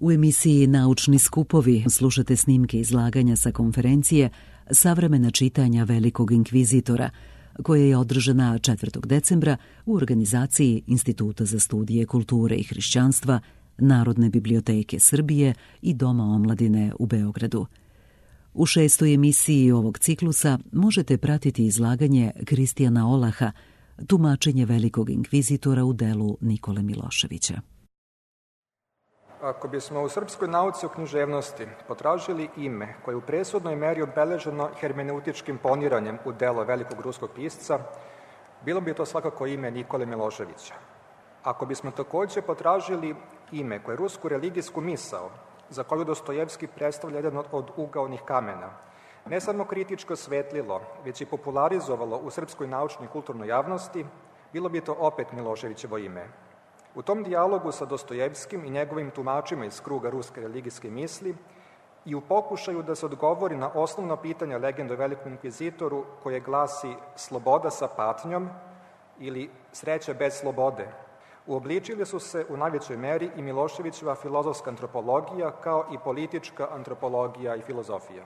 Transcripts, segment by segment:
U emisiji Naučni skupovi slušate snimke izlaganja sa konferencije Savremena čitanja velikog inkvizitora, koja je održana 4. decembra u organizaciji Instituta za studije kulture i hrišćanstva, Narodne biblioteke Srbije i Doma omladine u Beogradu. U 6. emisiji ovog ciklusa možete pratiti izlaganje Kristijana Olaha, tumačenje velikog inkvizitora u delu Nikole Miloševića. Ako bismo u srpskoj nauci o književnosti potražili ime koje je u presudnoj meri obeleženo hermeneutičkim poniranjem u delo velikog ruskog pisca, bilo bi to svakako ime Nikole Miloševića. Ako bismo takođe potražili ime koje je rusku religijsku misao, za koju Dostojevski predstavlja jedan od ugaonih kamena, ne samo kritičko osvetlilo, već i popularizovalo u srpskoj naučnoj i kulturnoj javnosti, bilo bi to opet Miloševićevo ime. U tom dijalogu sa Dostojevskim i njegovim tumačima iz kruga ruske religijske misli i u pokušaju da se odgovori na osnovno pitanje legende o velikom inkvizitoru koje glasi sloboda sa patnjom ili sreća bez slobode, uobličili su se u najvećoj meri i Miloševićeva filozofska antropologija kao i politička antropologija i filozofija.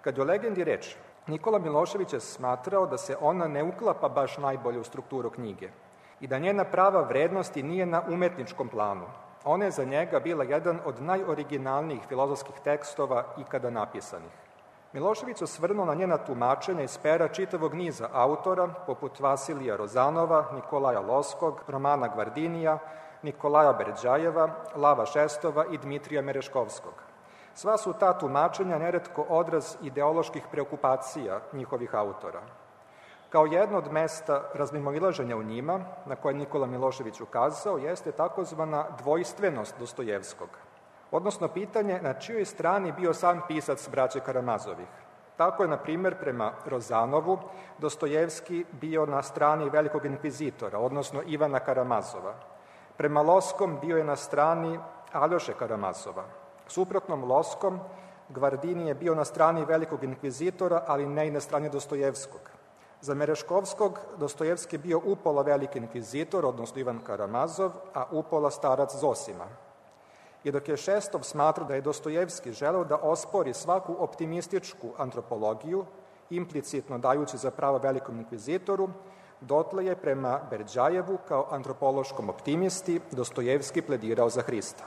Kad je o legendi reč, Nikola Milošević je smatrao da se ona ne uklapa baš najbolje u strukturu knjige i da njena prava vrednosti nije na umetničkom planu. Ona je za njega bila jedan od najoriginalnijih filozofskih tekstova ikada napisanih. Milošević osvrnuo na njena tumačenja iz pera čitavog niza autora, poput Vasilija Rozanova, Nikolaja Loskog, Romana Gvardinija, Nikolaja Berđajeva, Lava Šestova i Dmitrija Mereškovskog. Sva su ta tumačenja neretko odraz ideoloških preokupacija njihovih autora. Kao jedno od mesta razmimoilaženja u njima, na koje Nikola Milošević ukazao, jeste takozvana dvojstvenost Dostojevskog, odnosno pitanje na čijoj strani bio sam pisac braće Karamazovih. Tako je, na primer, prema Rozanovu, Dostojevski bio na strani velikog inkvizitora, odnosno Ivana Karamazova. Prema Loskom bio je na strani Aljoše Karamazova. Suprotnom Loskom, Gvardini je bio na strani velikog inkvizitora, ali ne i na strani Dostojevskog. Za Mereškovskog Dostojevski je bio upola veliki inkvizitor, odnosno Ivan Karamazov, a upola starac Zosima. I dok je Šestov smatrao da je Dostojevski želeo da ospori svaku optimističku antropologiju, implicitno dajući za pravo velikom inkvizitoru, dotle je prema Berđajevu kao antropološkom optimisti Dostojevski pledirao za Hrista.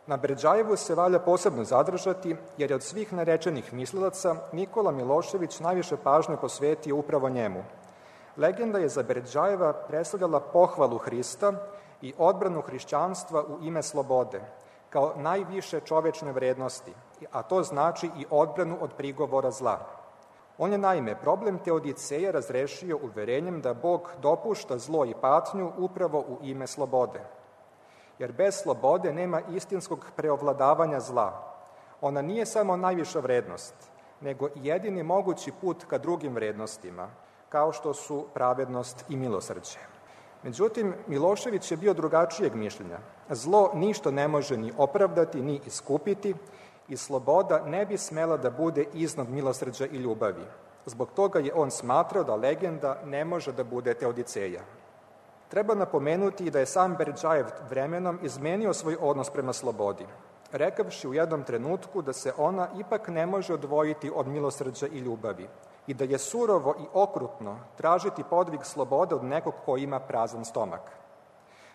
Na Berđajevu se valja posebno zadržati, jer je od svih narečenih mislilaca Nikola Milošević najviše pažnje posvetio upravo njemu. Legenda je za Berđajeva predstavljala pohvalu Hrista i odbranu hrišćanstva u ime slobode, kao najviše čovečne vrednosti, a to znači i odbranu od prigovora zla. On je naime problem Teodiceja razrešio uverenjem da Bog dopušta zlo i patnju upravo u ime slobode. Jer bez slobode nema istinskog preovladavanja zla. Ona nije samo najviša vrednost, nego i jedini mogući put ka drugim vrednostima, kao što su pravednost i milosrđe. Međutim, Milošević je bio drugačijeg mišljenja. Zlo ništa ne može ni opravdati, ni iskupiti i sloboda ne bi smela da bude iznad milosrđa i ljubavi. Zbog toga je on smatrao da legenda ne može da bude Teodiceja. Treba napomenuti da je sam Berđajev vremenom izmenio svoj odnos prema slobodi, rekavši u jednom trenutku da se ona ipak ne može odvojiti od milosrđa i ljubavi i da je surovo i okrutno tražiti podvig slobode od nekog ko ima prazan stomak.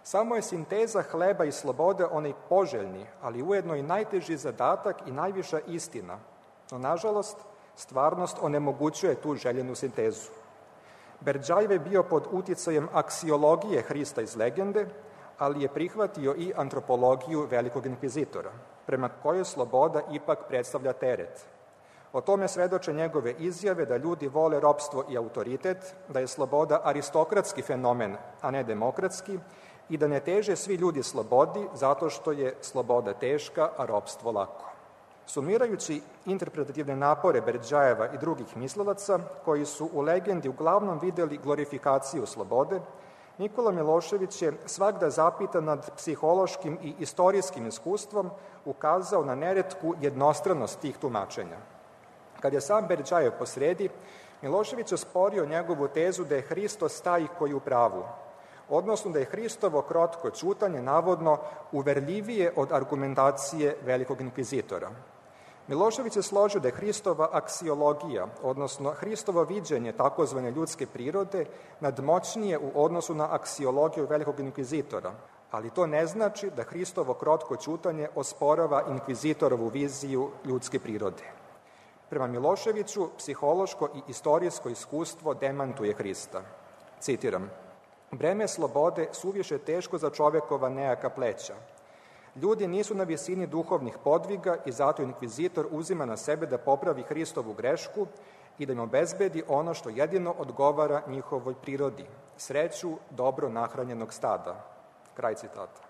Samo je sinteza hleba i slobode onaj poželjni, ali ujedno i najteži zadatak i najviša istina, no nažalost stvarnost onemogućuje tu željenu sintezu. Berđajev je bio pod uticajem aksiologije Hrista iz legende, ali je prihvatio i antropologiju velikog inkvizitora, prema kojoj sloboda ipak predstavlja teret. O tome svedoče njegove izjave da ljudi vole ropstvo i autoritet, da je sloboda aristokratski fenomen, a ne demokratski, i da ne teže svi ljudi slobodi zato što je sloboda teška, a ropstvo lako. Sumirajući interpretativne napore Berđajeva i drugih mislilaca, koji su u legendi uglavnom videli glorifikaciju slobode, Nikola Milošević je svakda zapitan nad psihološkim i istorijskim iskustvom ukazao na neretku jednostranost tih tumačenja. Kad je sam Berđajev posredi, Milošević osporio njegovu tezu da je Hristos taj koji u pravu. odnosno da je Hristovo krotko ćutanje navodno uverljivije od argumentacije velikog inkvizitora. Milošević je složio da je Hristova aksiologija, odnosno Hristovo viđenje takozvane ljudske prirode, nadmoćnije u odnosu na aksiologiju velikog inkvizitora, ali to ne znači da Hristovo krotko ćutanje osporava inkvizitorovu viziju ljudske prirode. Prema Miloševiću, psihološko i istorijsko iskustvo demantuje Hrista. Citiram: "Breme slobode suviše teško za čovekova nejaka pleća. Ljudi nisu na visini duhovnih podviga i zato inkvizitor uzima na sebe da popravi Hristovu grešku i da im obezbedi ono što jedino odgovara njihovoj prirodi, sreću dobro nahranjenog stada." Kraj citata.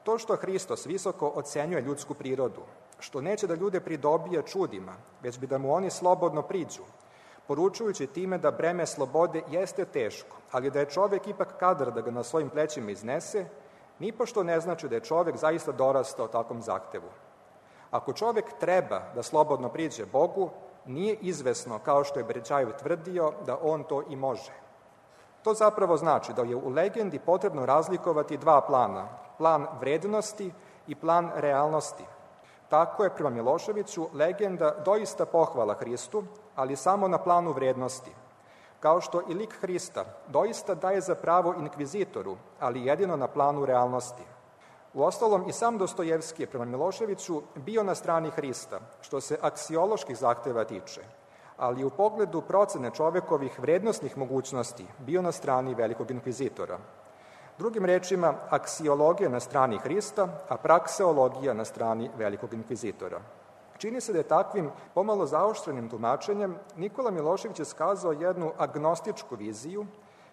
To što Hristos visoko ocenjuje ljudsku prirodu, što neće da ljude pridobije čudima, već bi da mu oni slobodno priđu, poručujući time da breme slobode jeste teško, ali da je čovek ipak kadar da ga na svojim plećima iznese, nipošto ne znači da je čovek zaista dorastao takvom zahtevu. Ako čovek treba da slobodno priđe Bogu, nije izvesno, kao što je Bređajev tvrdio, da on to i može. To zapravo znači da je u legendi potrebno razlikovati dva plana, plan vrednosti i plan realnosti. Tako je, prema Miloševiću, legenda doista pohvala Hristu, ali samo na planu vrednosti, kao što i lik Hrista doista daje za pravo inkvizitoru, ali jedino na planu realnosti. Uostalom, i sam Dostojevski je, prema Miloševiću, bio na strani Hrista, što se aksioloških zahteva tiče, ali u pogledu procene čovekovih vrednostnih mogućnosti bio na strani velikog inkvizitora. Drugim rečima, aksiologija na strani Hrista, a prakseologija na strani velikog inkvizitora. Čini se da je takvim pomalo zaoštrenim tumačenjem Nikola Milošević je skazao jednu agnostičku viziju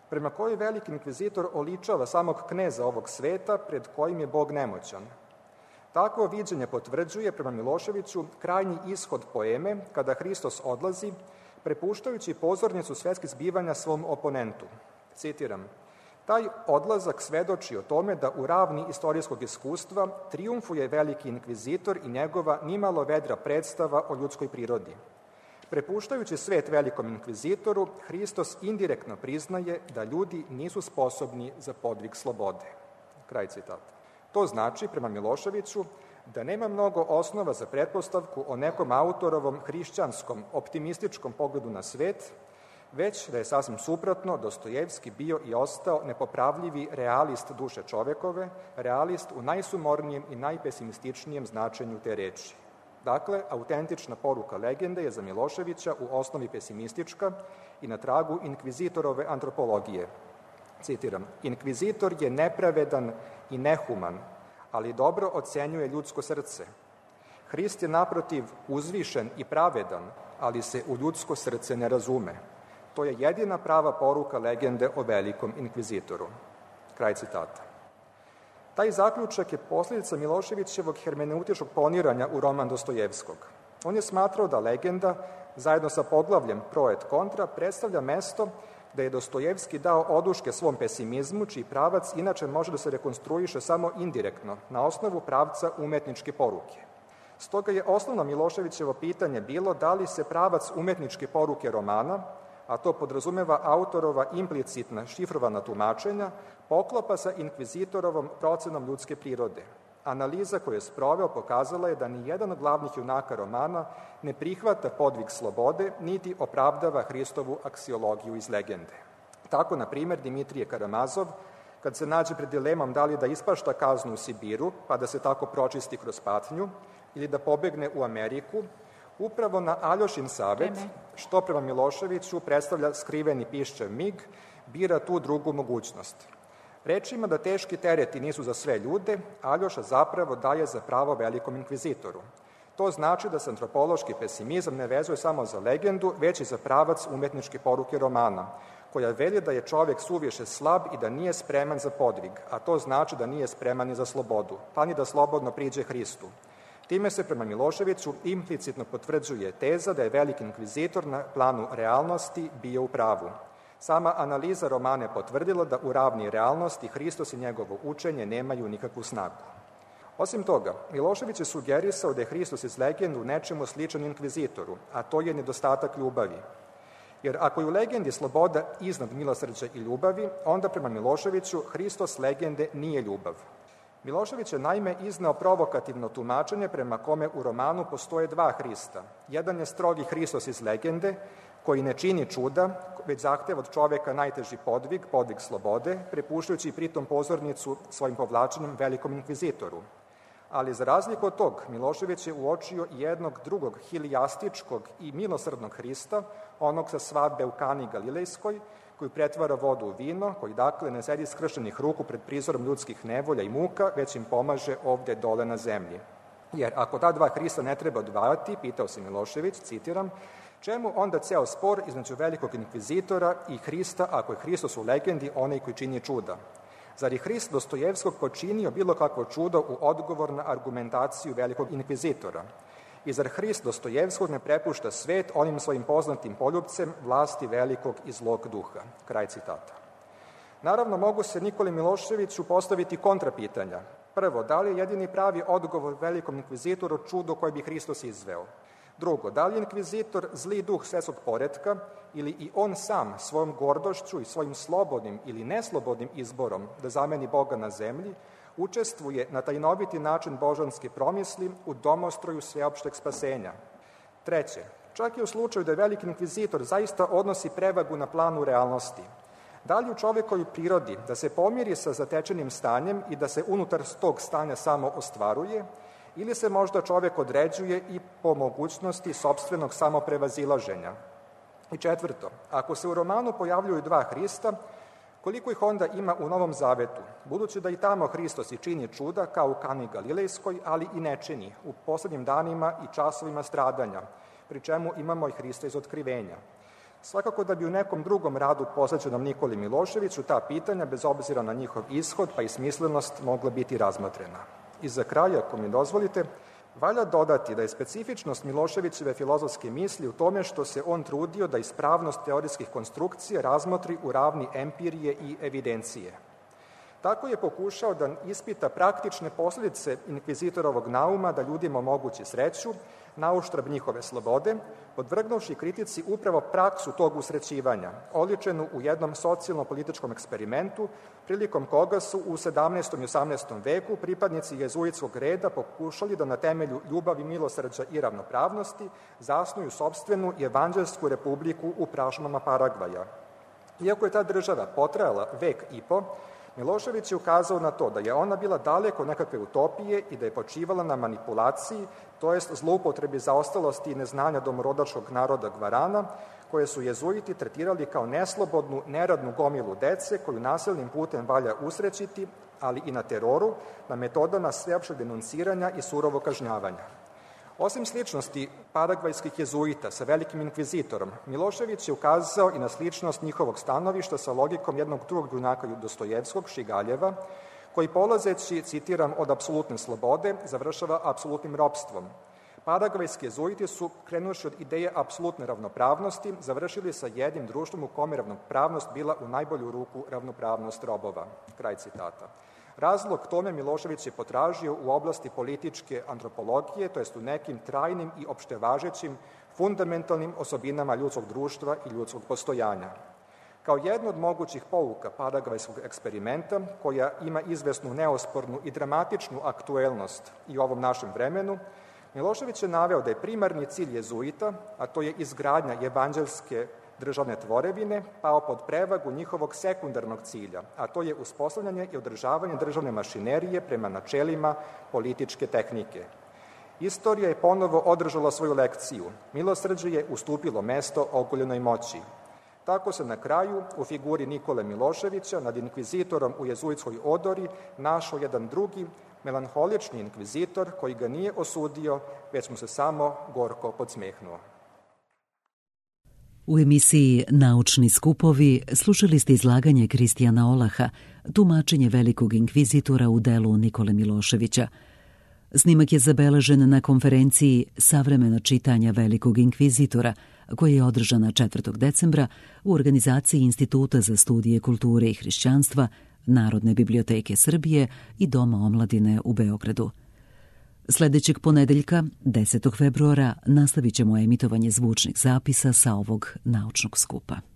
prema kojoj veliki inkvizitor oličava samog kneza ovog sveta pred kojim je Bog nemoćan. Takvo viđenje potvrđuje, prema Miloševiću, krajnji ishod poeme kada Hristos odlazi, prepuštajući pozornicu svetskih zbivanja svom oponentu. Citiram: "Taj odlazak svedoči o tome da u ravni istorijskog iskustva trijumfuje veliki inkvizitor i njegova nimalo vedra predstava o ljudskoj prirodi. Prepuštajući svet velikom inkvizitoru, Hristos indirektno priznaje da ljudi nisu sposobni za podvig slobode." Kraj citata. To znači, prema Miloševiću, da nema mnogo osnova za pretpostavku o nekom autorovom hrišćanskom, optimističkom pogledu na svet, već da je sasvim suprotno Dostojevski bio i ostao nepopravljivi realist duše čovekove, realist u najsumornijem i najpesimističnijem značenju te reči. Dakle, autentična poruka legende je za Miloševića u osnovi pesimistička i na tragu inkvizitorove antropologije. Citiram: "Inkvizitor je nepravedan i nehuman, ali dobro ocenjuje ljudsko srce. Hrist je naprotiv uzvišen i pravedan, ali se u ljudsko srce ne razume. To je jedina prava poruka legende o velikom inkvizitoru." Kraj citata. Taj zaključak je posljedica Miloševićevog hermeneutičkog poniranja u roman Dostojevskog. On je smatrao da legenda, zajedno sa poglavljem pro et contra, predstavlja mesto da je Dostojevski dao oduške svom pesimizmu, čiji pravac inače može da se rekonstruiše samo indirektno, na osnovu pravca umetničke poruke. Stoga je osnovno Miloševićevo pitanje bilo da li se pravac umetničke poruke romana, a to podrazumeva autorova implicitna šifrovana tumačenja, poklapa sa inkvizitorovom procenom ljudske prirode. Analiza koju je sproveo pokazala je da ni jedan od glavnih junaka romana ne prihvata podvig slobode, niti opravdava Hristovu aksiologiju iz legende. Tako, na primjer, Dimitrije Karamazov, kad se nađe pred dilemom da li da ispašta kaznu u Sibiru, pa da se tako pročisti kroz patnju, ili da pobegne u Ameriku, upravo na Aljošin savet, što prema Miloševiću predstavlja skriveni piščev mig, bira tu drugu mogućnost. Rečima da teški tereti nisu za sve ljude, Aljoša zapravo daje za pravo velikom inkvizitoru. To znači da se antropološki pesimizam ne vezuje samo za legendu, već i za pravac umetničke poruke romana, koja veli da je čovek suviše slab i da nije spreman za podvig, a to znači da nije spreman ni za slobodu, pa ni da slobodno priđe Hristu. Time se prema Miloševiću implicitno potvrđuje teza da je veliki inkvizitor na planu realnosti bio u pravu. Sama analiza romana je potvrdila da u ravni realnosti Hristos i njegovo učenje nemaju nikakvu snagu. Osim toga, Milošević je sugerisao da je Hristos iz legende u nečemu sličan inkvizitoru, a to je nedostatak ljubavi. Jer ako je u legendi sloboda iznad milosrđa i ljubavi, onda prema Miloševiću Hristos legende nije ljubav. Milošević je naime izneo provokativno tumačenje prema kome u romanu postoje dva Hrista. Jedan je strogi Hristos iz legende, koji ne čini čuda, već zahteva od čoveka najteži podvig, podvig slobode, prepuštajući pritom pozornicu svojim povlačenjem velikom inkvizitoru. Ali za razliku od tog, Milošević je uočio jednog drugog hilijastičkog i milosrdnog Hrista, onog sa svadbe u Kani Galilejskoj, koji pretvara vodu u vino, koji dakle ne sedi skrštenih ruku pred prizorom ljudskih nevolja i muka, već im pomaže ovde dole na zemlji. Jer ako ta dva Hrista ne treba odvajati, pitao se Milošević, citiram, čemu onda ceo spor između velikog inkvizitora i Hrista, ako je Hristos u legendi onaj koji čini čuda? Zar je Hrist Dostojevskog počinio bilo kakvo čudo u odgovor na argumentaciju velikog inkvizitora? I zar Hrist Dostojevskog ne prepušta svet onim svojim poznatim poljupcem vlasti velikog i zlog duha? Kraj citata. Naravno, mogu se Nikoli Miloševiću postaviti kontrapitanja. Prvo, da li je jedini pravi odgovor velikom inkvizitoru čudo koje bi Hristos izveo? Drugo, da li je inkvizitor zli duh svetskog poretka ili i on sam svojom gordošću i svojim slobodnim ili neslobodnim izborom da zameni Boga na zemlji, učestvuje na tajnoviti način božanske promisli u domostroju sveopšteg spasenja? Treće, čak i u slučaju da je veliki inkvizitor zaista odnosi prevagu na planu realnosti, da li u čovekovoj prirodi da se pomiri sa zatečenim stanjem i da se unutar tog stanja samo ostvaruje, ili se možda čovek određuje i po mogućnosti sopstvenog samoprevazilaženja? I četvrto, ako se u romanu pojavljuju dva Hrista, koliko ih onda ima u Novom Zavetu, budući da i tamo Hristos i čini čuda, kao u Kani Galilejskoj, ali i ne čini, u poslednjim danima i časovima stradanja, pri čemu imamo i Hrista iz Otkrivenja. Svakako da bi u nekom drugom radu posvećenom Nikoli Miloševiću ta pitanja, bez obzira na njihov ishod pa i smislenost, mogla biti razmotrena. I za kraj, ako mi dozvolite, valja dodati da je specifičnost Miloševićeve filozofske misli u tome što se on trudio da ispravnost teorijskih konstrukcija razmotri u ravni empirije i evidencije. Tako je pokušao da ispita praktične posledice inkvizitorovog nauma da ljudima omogući sreću, nauštrb njihove slobode, podvrgnuvši kritici upravo praksu tog usrećivanja, oličenu u jednom socijalno-političkom eksperimentu, prilikom koga su u 17. i 18. veku pripadnici jezuitskog reda pokušali da na temelju ljubavi, milosrđa i ravnopravnosti zasnuju sopstvenu i evanđelsku republiku u prašumama Paragvaja. Iako je ta država potrajala vek i po, Milošević je ukazao na to da je ona bila daleko nekakve utopije i da je počivala na manipulaciji, to jest zloupotrebi zaostalosti i neznanja domorodačkog naroda Gvarana, koje su jezuiti tretirali kao neslobodnu, neradnu gomilu dece koju nasilnim putem valja usrećiti, ali i na teroru, na metodama sveopšteg denunciranja i surovog kažnjavanja. Osim sličnosti paragvajskih jezuita sa velikim inkvizitorom, Milošević je ukazao i na sličnost njihovog stanovišta sa logikom jednog drugog junaka Dostojevskog, Šigaljeva, koji polazeći, citiram, od apsolutne slobode, završava apsolutnim ropstvom. Paragvajski jezuiti su, krenuši od ideje apsolutne ravnopravnosti, završili sa jednim društvom u kome ravnopravnost bila u najbolju ruku ravnopravnost robova. Kraj citata. Razlog tome Milošević je potražio u oblasti političke antropologije, to jest u nekim trajnim i opštevažećim fundamentalnim osobinama ljudskog društva i ljudskog postojanja. Kao jedno od mogućih pouka paragvajskog eksperimenta, koja ima izvesnu neospornu i dramatičnu aktuelnost i u ovom našem vremenu, Milošević je naveo da je primarni cilj jezuita, a to je izgradnja evanđelske državne tvorevine, pao pod prevagu njihovog sekundarnog cilja, a to je uspostavljanje i održavanje državne mašinerije prema načelima političke tehnike. Istorija je ponovo održala svoju lekciju. Milosrđe je ustupilo mesto ogoljenoj moći. Tako se na kraju, u figuri Nikole Miloševića, nad inkvizitorom u jezuitskoj odori, našao jedan drugi, melanholični inkvizitor koji ga nije osudio, već mu se samo gorko podsmehnuo. U emisiji Naučni skupovi slušali ste izlaganje Kristijana Olaha, tumačenje velikog inkvizitora u delu Nikole Miloševića. Snimak je zabeležen na konferenciji Savremena čitanja velikog inkvizitora, koja je održana 4. decembra u organizaciji Instituta za studije kulture i hrišćanstva, Narodne biblioteke Srbije i Doma omladine u Beogradu. Sljedećeg ponedeljka, 10. februara, nastavit ćemo emitovanje zvučnih zapisa sa ovog naučnog skupa.